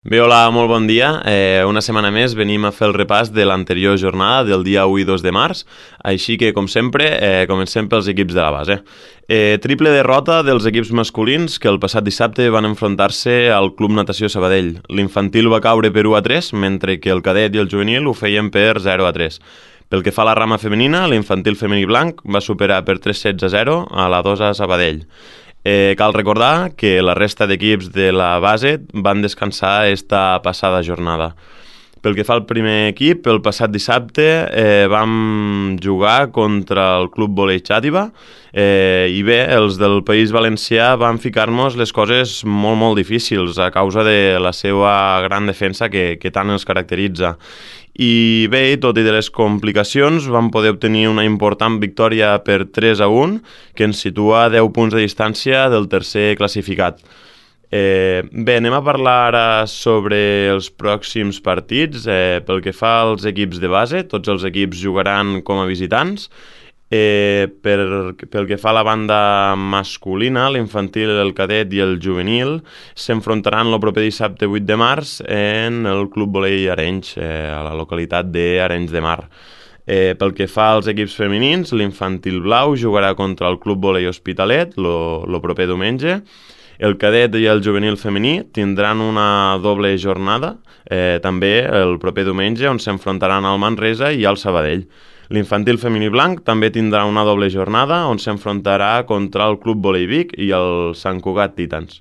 Bé, hola, molt bon dia. Una setmana més venim a fer el repàs de l'anterior jornada del dia 1 i 2 de març, així que, com sempre, comencem pels equips de la base. Triple derrota dels equips masculins que el passat dissabte van enfrontar-se al Club Natació Sabadell. L'infantil va caure per 1-3, mentre que el cadet i el juvenil ho feien per 0-3. Pel que fa a la rama femenina, l'infantil femení blanc va superar per 3-16-0 a la 2 a Sabadell. Cal recordar que la resta d'equips de la base van descansar esta passada jornada. Pel que fa al primer equip, el passat dissabte vam jugar contra el Club Volei Xàtiva i bé, els del País Valencià van ficar-nos les coses molt difícils a causa de la seva gran defensa que tant els caracteritza. I bé, tot i de les complicacions, vam poder obtenir una important victòria per 3-1 que ens situa a 10 punts de distància del tercer classificat. Bé, anem a parlar ara sobre els pròxims partits. Pel que fa als equips de base, tots els equips jugaran com a visitants. Pel que fa a la banda masculina, l'infantil, el cadet i el juvenil s'enfrontaran el proper dissabte 8 de març en el Club Volei Arenys, a la localitat d'Arenys de Mar. Pel que fa als equips femenins, l'infantil blau jugarà contra el Club Volei Hospitalet el proper diumenge. El cadet i el juvenil femení tindran una doble jornada, també el proper diumenge, on s'enfrontaran al Manresa i al Sabadell. L'infantil femení blanc també tindrà una doble jornada, on s'enfrontarà contra el Club Volei Vic i el Sant Cugat Titans.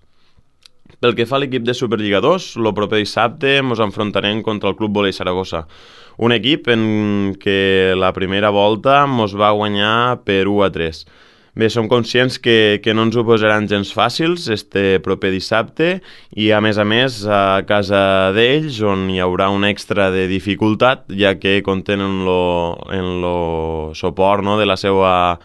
Pel que fa a l'equip de Superliga 2, el proper dissabte ens enfrontarem contra el Club Volei Saragossa, un equip en què la primera volta ens va guanyar per 1-3. Bé, som conscients que no ens ho posaran gens fàcils este proper dissabte i a més a casa d'ells, on hi haurà un extra de dificultat, ja que compten en lo suport, no, de la seva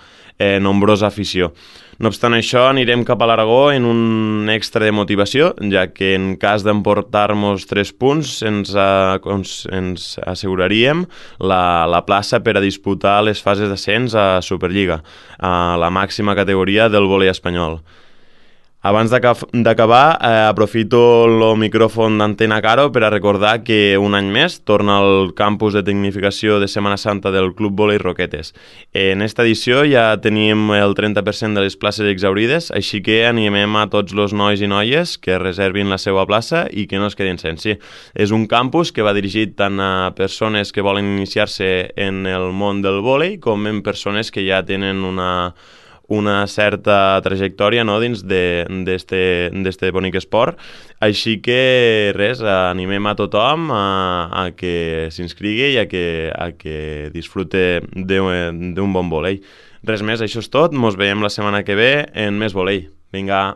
nombrosa afició. No obstant això, anirem cap a l'Aragó en un extra de motivació, ja que en cas d'emportar-nos 3 punts ens asseguraríem la plaça per a disputar les fases d'ascens a Superliga, a la màxima categoria del vòlei espanyol. Abans d'acabar, aprofito el micròfon d'Antena Caro per a recordar que un any més torna al campus de tecnificació de Setmana Santa del Club Volei Roquetes. En esta edició ja tenim el 30% de les places exaurides, així que animem a tots els nois i noies que reservin la seva plaça i que no es quedin sense. És un campus que va dirigit tant a persones que volen iniciar-se en el món del vòlei com en persones que ja tenen una certa trajectòria, no, dins d'este bonic esport. Així que res, animem a tothom a que s'inscrigui i a que disfrute d'un bon vòlei. Res més, això és tot. Mos veiem la setmana que ve en més vòlei. Vinga!